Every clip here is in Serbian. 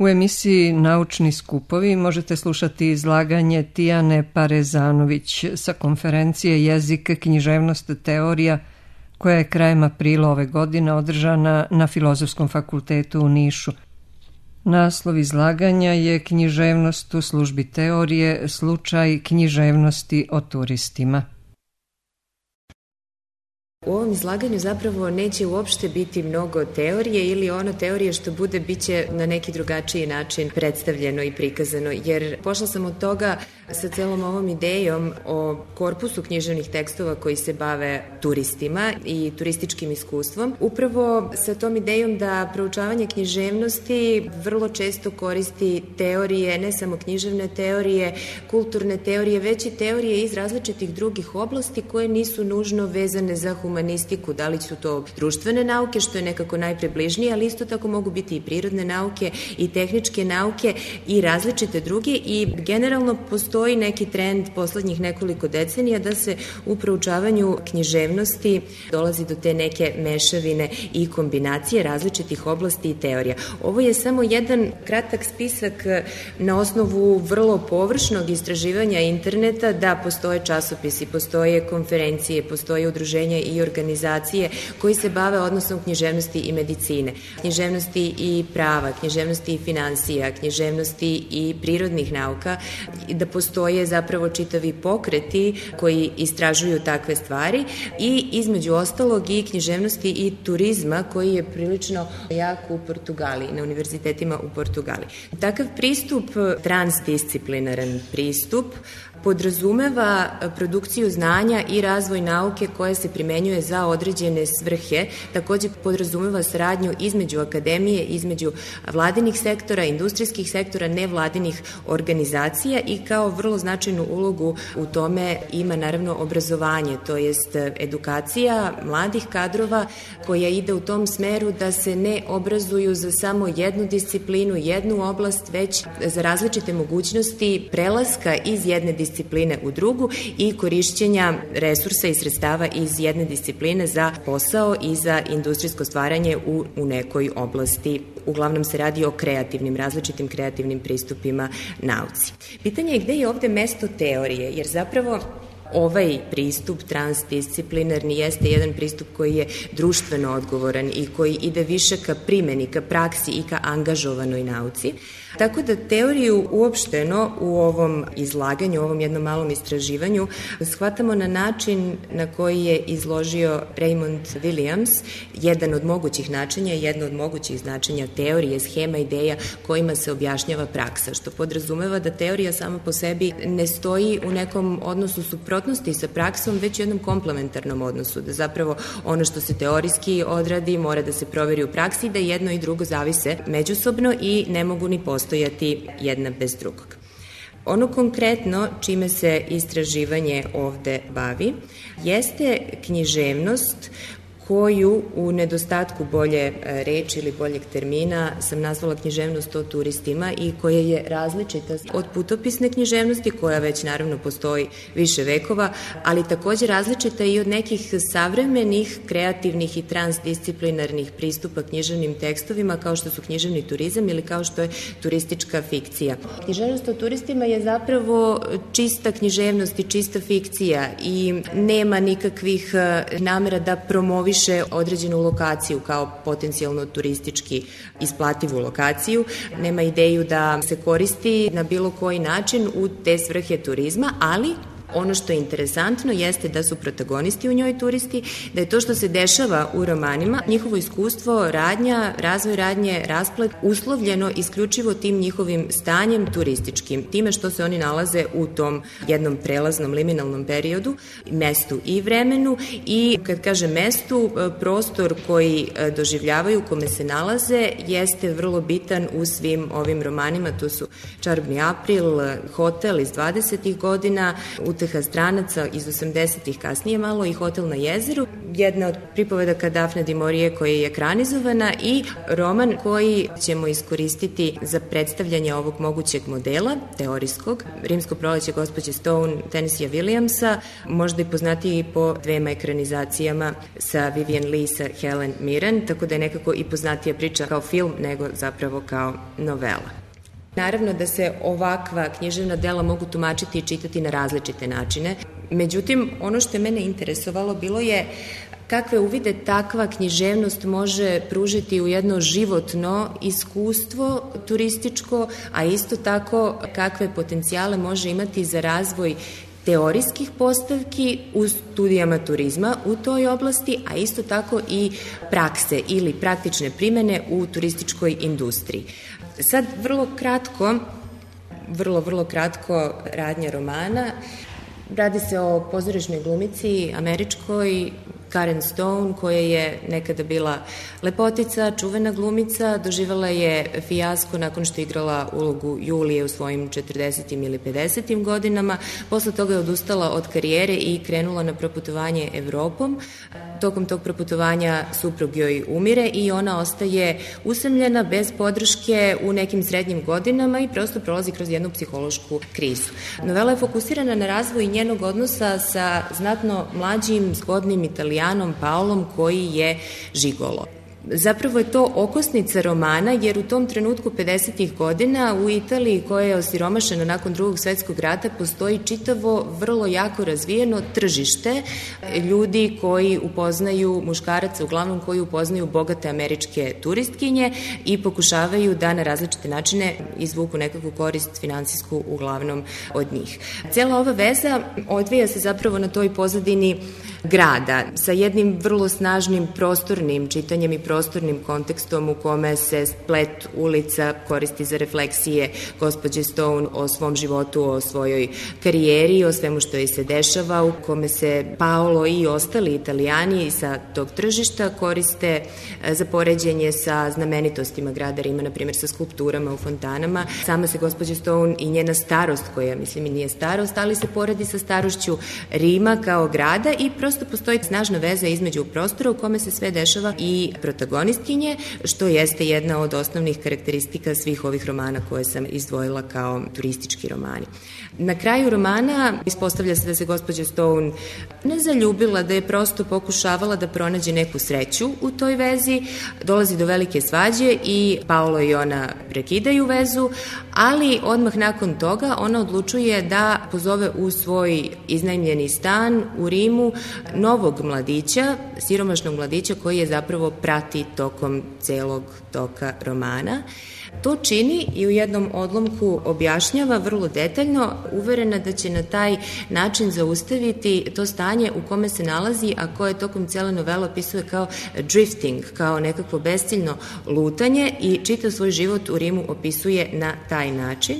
U emisiji Naučni skupovi možete slušati izlaganje Tijane Parezanović sa konferencije Jezik, književnost, teorija, koja je krajem aprila ove godine održana na Filozofskom fakultetu u Nišu. Naslov izlaganja je Književnost u službi teorije, slučaj književnosti o turistima. U ovom izlaganju zapravo neće uopšte biti mnogo teorije ili ono teorije što bude biće na neki drugačiji način predstavljeno i prikazano, jer pošla sam od toga sa celom ovom idejom o korpusu književnih tekstova koji se bave turistima i turističkim iskustvom. Upravo sa tom idejom da proučavanje književnosti vrlo često koristi teorije, ne samo književne teorije, kulturne teorije, već i teorije iz različitih drugih oblasti koje nisu nužno vezane za humanistiku, da li su to društvene nauke, što je nekako najpribližnije, ali isto tako mogu biti i prirodne nauke i tehničke nauke i različite druge i generalno postoji neki trend poslednjih nekoliko decenija da se u proučavanju književnosti dolazi do te neke mešavine i kombinacije različitih oblasti i teorija. Ovo je samo jedan kratak spisak na osnovu vrlo površnog istraživanja interneta da postoje časopisi, postoje konferencije, postoje udruženja i organizacije koji se bave odnosom književnosti i medicine, književnosti i prava, književnosti i finansija, književnosti i prirodnih nauka, da postoje zapravo čitavi pokreti koji istražuju takve stvari i između ostalog i književnosti i turizma koji je prilično jak u Portugaliji, na univerzitetima u Portugaliji. Takav pristup, transdisciplinaran pristup, podrazumeva produkciju znanja i razvoj nauke koja se primenjuje za određene svrhe, takođe podrazumeva saradnju između akademije, između vladinih sektora, industrijskih sektora, nevladinih organizacija i kao vrlo značajnu ulogu u tome ima naravno obrazovanje, to jest edukacija mladih kadrova koja ide u tom smeru da se ne obrazuju za samo jednu disciplinu, jednu oblast, već za različite mogućnosti prelaska iz jedne discipline u drugu i korišćenja resursa i sredstava iz jedne discipline za posao i za industrijsko stvaranje u nekoj oblasti. Uglavnom se radi o različitim kreativnim pristupima nauci. Pitanje je gde je ovde mesto teorije, jer zapravo ovaj pristup transdisciplinarni jeste jedan pristup koji je društveno odgovoran i koji ide više ka primeni, ka praksi i ka angažovanoj nauci. Tako da teoriju uopšteno u ovom izlaganju, u ovom jednom malom istraživanju shvatamo na način na koji je izložio Raymond Williams, jedan od mogućih načinja, jedno od mogućih značenja teorije, schema, ideja kojima se objašnjava praksa, što podrazumeva da teorija sama po sebi ne stoji u nekom odnosu suprotnosti sa praksom, već u jednom komplementarnom odnosu, da zapravo ono što se teorijski odradi mora da se proveri u praksi, da jedno i drugo zavise međusobno i ne mogu ni postojati jedna bez drugog. Ono konkretno čime se istraživanje ovde bavi jeste književnost koju u nedostatku bolje reči ili boljeg termina sam nazvala književnost o turistima i koja je različita od putopisne književnosti koja već naravno postoji više vekova, ali takođe različita i od nekih savremenih, kreativnih i transdisciplinarnih pristupa književnim tekstovima kao što su književni turizam ili kao što je turistička fikcija. Književnost o turistima je zapravo čista književnost i čista fikcija i nema nikakvih namera da promoviše određenu lokaciju kao potencijalno turistički isplativu lokaciju, nema ideju da se koristi na bilo koji način u te svrhe turizma, ali ono što je interesantno jeste da su protagonisti u njoj turisti, da je to što se dešava u romanima, njihovo iskustvo, radnja, razvoj radnje, rasplet, uslovljeno isključivo tim njihovim stanjem turističkim, time što se oni nalaze u tom jednom prelaznom liminalnom periodu, mestu i vremenu i kad kažem mestu, prostor koji doživljavaju, u kome se nalaze, jeste vrlo bitan u svim ovim romanima, to su Čarobni april, Hotel iz 20. godina, Uteha stranaca iz 80-ih, kasnije malo i Hotel na jezeru. jedna od pripovedaka Dafne du Maurier koja je ekranizovana i roman koji ćemo iskoristiti za predstavljanje ovog mogućeg modela, teorijskog, Rimsko proleće gospođe Stone, Tennesseeja Williamsa, možda i poznatiji po dvema ekranizacijama sa Vivien Leigh, sa Helen Mirren, tako da je nekako i poznatija priča kao film nego zapravo kao novela. Naravno da se ovakva književna dela mogu tumačiti i čitati na različite načine. Međutim, ono što je mene interesovalo bilo je kakve uvide takva književnost može pružiti u jedno životno iskustvo turističko, a isto tako kakve potencijale može imati za razvoj teorijskih postavki u studijama turizma u toj oblasti, a isto tako i prakse ili praktične primene u turističkoj industriji. Sad vrlo kratko radnja romana. Radi se o pozorišnoj glumici američkoj Karen Stone, koja je nekada bila lepotica, čuvena glumica, doživala je fijasko nakon što je igrala ulogu Julije u svojim 40. ili 50. godinama. Posle toga je odustala od karijere i krenula na proputovanje Evropom. Tokom tog proputovanja suprug joj umire i ona ostaje usamljena, bez podrške u nekim srednjim godinama i prosto prolazi kroz jednu psihološku krizu. Novela je fokusirana na razvoj njenog odnosa sa znatno mlađim, zgodnim Italijanom Paolom koji je žigolo. Zapravo je to okosnica romana, jer u tom trenutku 50. godina u Italiji, koja je osiromašena nakon Drugog svetskog rata, postoji čitavo vrlo jako razvijeno tržište ljudi koji upoznaju, muškaraca uglavnom koji upoznaju bogate američke turistkinje i pokušavaju da na različite načine izvuku nekakvu korist finansijsku uglavnom od njih. Cijela ova veza odvija se zapravo na toj pozadini grada sa jednim vrlo snažnim prostornim čitanjem i prostornim kontekstom u kome se splet ulica koristi za refleksije gospođe Stone o svom životu, o svojoj karijeri, o svemu što joj se dešava, u kome se Paolo i ostali Italijani sa tog tržišta koriste za poređenje sa znamenitostima grada Rima, na primjer sa skulpturama u fontanama. Sama se gospođa Stone i njena starost, koja mislim i nije starost, ali se poredi sa starošću Rima kao grada i prosto postoji snažna veza između prostora u kome se sve dešava i protagonistkinje, što jeste jedna od osnovnih karakteristika svih ovih romana koje sam izdvojila kao turistički romani. Na kraju romana ispostavlja se da se gospođa Stone ne zaljubila, da je prosto pokušavala da pronađe neku sreću u toj vezi, dolazi do velike svađe i Paolo i ona prekidaju vezu, ali odmah nakon toga ona odlučuje da pozove u svoj iznajmljeni stan u Rimu novog mladića, siromašnog mladića koji je zapravo prati tokom celog toka romana. To čini i u jednom odlomku objašnjava vrlo detaljno, uverena da će na taj način zaustaviti to stanje u kome se nalazi, a koje tokom cele novele opisuje kao drifting, kao nekakvo besciljno lutanje i čitav svoj život u Rimu opisuje na taj način.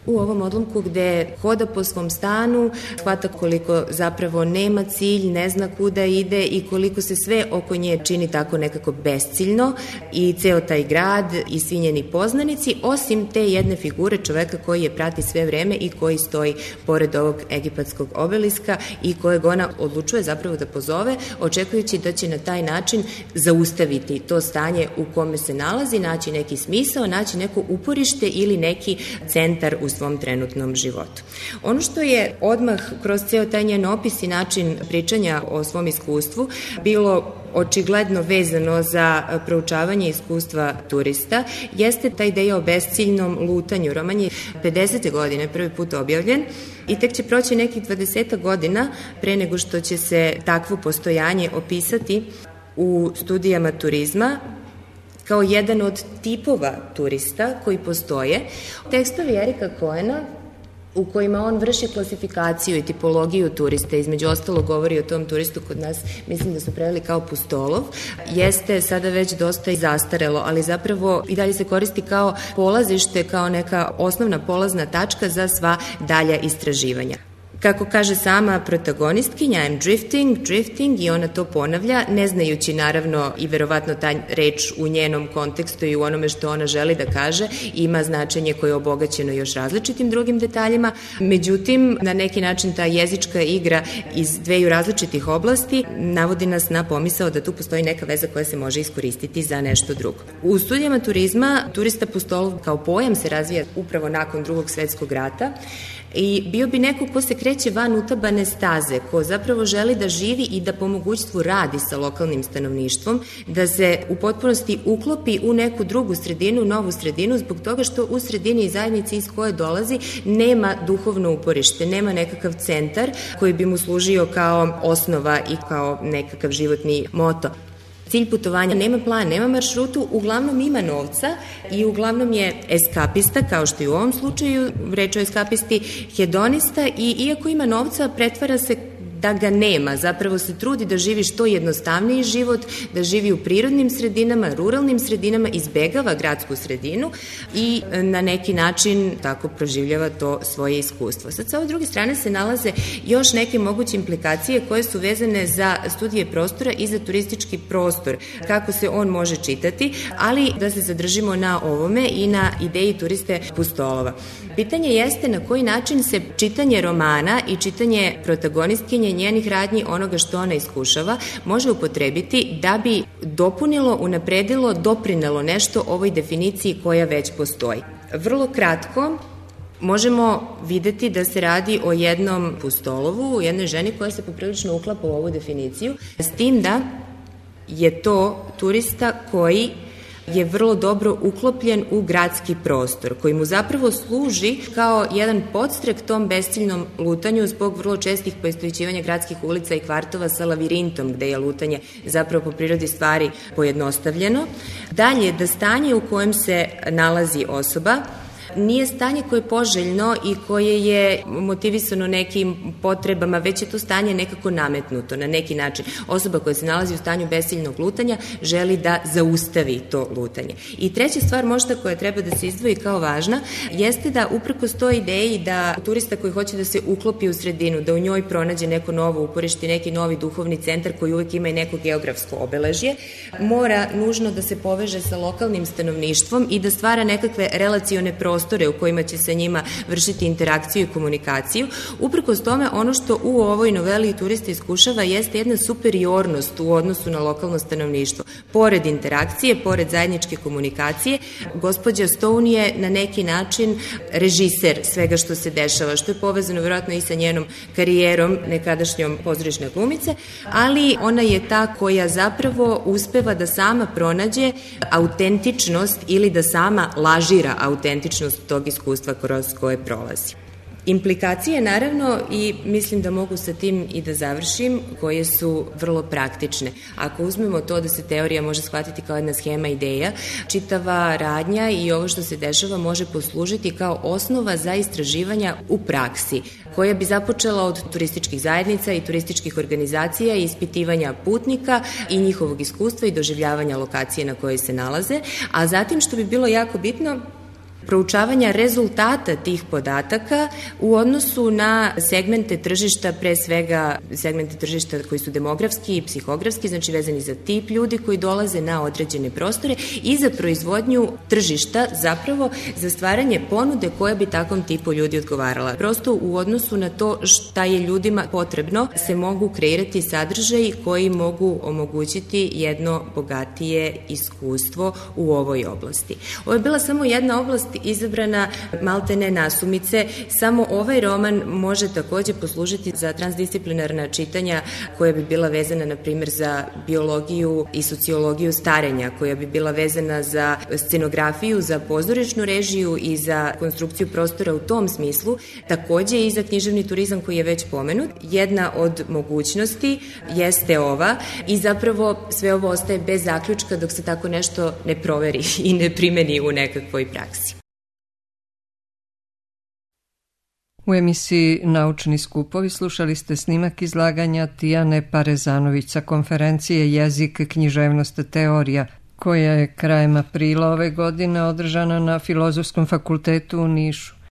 U ovom odlomku gde hoda po svom stanu, shvata koliko zapravo nema cilj, ne zna kuda ide i koliko se sve oko nje čini tako nekako besciljno i ceo taj grad i svi njeni poznanici, osim te jedne figure čoveka koji je prati sve vreme i koji stoji pored ovog egipatskog obeliska i kojeg ona odlučuje zapravo da pozove, očekujući da će na taj način zaustaviti to stanje u kome se nalazi, naći neki smisao, naći neko uporište ili neki centar u svom trenutnom životu. Ono što je odmah kroz ceo taj njen opis i način pričanja o svom iskustvu bilo očigledno vezano za proučavanje iskustva turista, jeste ta ideja o besciljnom lutanju. Roman je 50. godine prvi put objavljen i tek će proći nekih 20 godina pre nego što će se takvo postojanje opisati u studijama turizma kao jedan od tipova turista koji postoje. Tekstovi Erika Cohena, u kojima on vrši klasifikaciju i tipologiju turista, između ostalo govori o tom turistu, kod nas mislim da su preveli kao pustolov, jeste sada već dosta i zastarelo, ali zapravo i dalje se koristi kao polazište, kao neka osnovna polazna tačka za sva dalja istraživanja. Kako kaže sama protagonistkinja, I'm drifting, i ona to ponavlja, ne znajući naravno i verovatno ta reč u njenom kontekstu i u onome što ona želi da kaže ima značenje koje je obogaćeno još različitim drugim detaljima. Međutim, na neki način ta jezička igra iz dveju različitih oblasti navodi nas na pomisao da tu postoji neka veza koja se može iskoristiti za nešto drugo. U studijama turizma, turista pustolov kao pojam se razvija upravo nakon Drugog svetskog rata i bio bi neko ko se kreće van utabane staze, ko zapravo želi da živi i da po mogućstvu radi sa lokalnim stanovništvom, da se u potpunosti uklopi u neku drugu sredinu, novu sredinu, zbog toga što u sredini i zajednici iz koje dolazi nema duhovno uporište, nema nekakav centar koji bi mu služio kao osnova i kao nekakav životni moto. Cilj putovanja nema plan, nema maršrutu, uglavnom ima novca i uglavnom je eskapista, kao što i u ovom slučaju, reč o eskapisti, hedonista i iako ima novca, pretvara se da ga nema, zapravo se trudi da živi što jednostavniji život, da živi u prirodnim sredinama, ruralnim sredinama, izbegava gradsku sredinu i na neki način tako proživljava to svoje iskustvo. Sad sa ove druge strane se nalaze još neke moguće implikacije koje su vezane za studije prostora i za turistički prostor, kako se on može čitati, ali da se zadržimo na ovome i na ideji turiste pustolova. Pitanje jeste na koji način se čitanje romana i čitanje protagonistkinje njenih radnji, onoga što ona iskušava, može upotrebiti da bi dopunilo, unapredilo, doprinelo nešto ovoj definiciji koja već postoji. Vrlo kratko, možemo videti da se radi o jednom pustolovu, o jednoj ženi koja se poprilično uklapa u ovu definiciju, s tim da je to turista koji je vrlo dobro uklopljen u gradski prostor, koji mu zapravo služi kao jedan podstrek tom besciljnom lutanju zbog vrlo čestih poistovećivanja gradskih ulica i kvartova sa lavirintom, gde je lutanje zapravo po prirodi stvari pojednostavljeno. Dalje, da stanje u kojem se nalazi osoba nije stanje koje je poželjno i koje je motivisano nekim potrebama, već je to stanje nekako nametnuto na neki način. Osoba koja se nalazi u stanju besiljnog lutanja želi da zaustavi to lutanje. I treća stvar možda koja treba da se izdvoji kao važna jeste da uprkos toj ideji da turista koji hoće da se uklopi u sredinu, da u njoj pronađe neko novo uporište, neki novi duhovni centar koji uvek ima i neko geografsko obeležje, mora nužno da se poveže sa lokalnim stanovništvom i da stvara nekakve relacione prostore u kojima će sa njima vršiti interakciju i komunikaciju. Uprkos tome, ono što u ovoj noveli turista iskušava jeste jedna superiornost u odnosu na lokalno stanovništvo. Pored interakcije, pored zajedničke komunikacije, gospođa Stone je na neki način režiser svega što se dešava, što je povezano vjerojatno i sa njenom karijerom nekadašnjom pozorišne glumice, ali ona je ta koja zapravo uspeva da sama pronađe autentičnost ili da sama lažira autentičnost tog iskustva kroz koje prolazi. Implikacije, naravno, i mislim da mogu sa tim i da završim, koje su vrlo praktične. Ako uzmemo to da se teorija može shvatiti kao jedna schema ideja, čitava radnja i ovo što se dešava može poslužiti kao osnova za istraživanja u praksi, koja bi započela od turističkih zajednica i turističkih organizacija i ispitivanja putnika i njihovog iskustva i doživljavanja lokacije na kojoj se nalaze, a zatim, što bi bilo jako bitno, proučavanja rezultata tih podataka u odnosu na segmente tržišta, pre svega segmente tržišta koji su demografski i psihografski, znači vezani za tip ljudi koji dolaze na određene prostore i za proizvodnju tržišta, zapravo za stvaranje ponude koja bi takvom tipu ljudi odgovarala. Prosto u odnosu na to šta je ljudima potrebno se mogu kreirati sadržaji koji mogu omogućiti jedno bogatije iskustvo u ovoj oblasti. Ovo je bila samo jedna oblast izabrana maltene nasumice. Samo ovaj roman može takođe poslužiti za transdisciplinarna čitanja koja bi bila vezana, na primjer, za biologiju i sociologiju starenja, koja bi bila vezana za scenografiju, za pozorišnu režiju i za konstrukciju prostora u tom smislu, takođe i za književni turizam koji je već pomenut. Jedna od mogućnosti jeste ova i zapravo sve ovo ostaje bez zaključka dok se tako nešto ne proveri i ne primeni u nekakvoj praksi. U emisiji Naučni skupovi slušali ste snimak izlaganja Tijane Parezanović sa konferencije Jezik, književnost, teorija, koja je krajem aprila ove godine održana na Filozofskom fakultetu u Nišu.